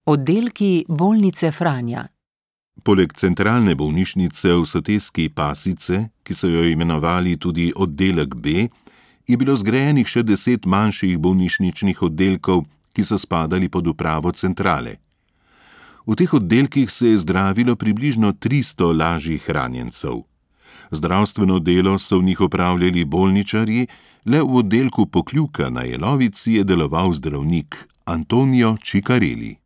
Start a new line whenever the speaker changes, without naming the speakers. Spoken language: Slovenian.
Oddelki bolnice Franja.
Poleg centralne bolnišnice v soteski Pasice, ki so jo imenovali tudi oddelek B, je bilo zgrajenih še 10 manjših bolnišničnih oddelkov, ki so spadali pod upravo centrale. V teh oddelkih se je zdravilo približno 300 lažjih ranjencev. Zdravstveno delo so v njih opravljali bolničarji, le v oddelku Pokljuka na Jelovici je deloval zdravnik Antonio Ciccarelli.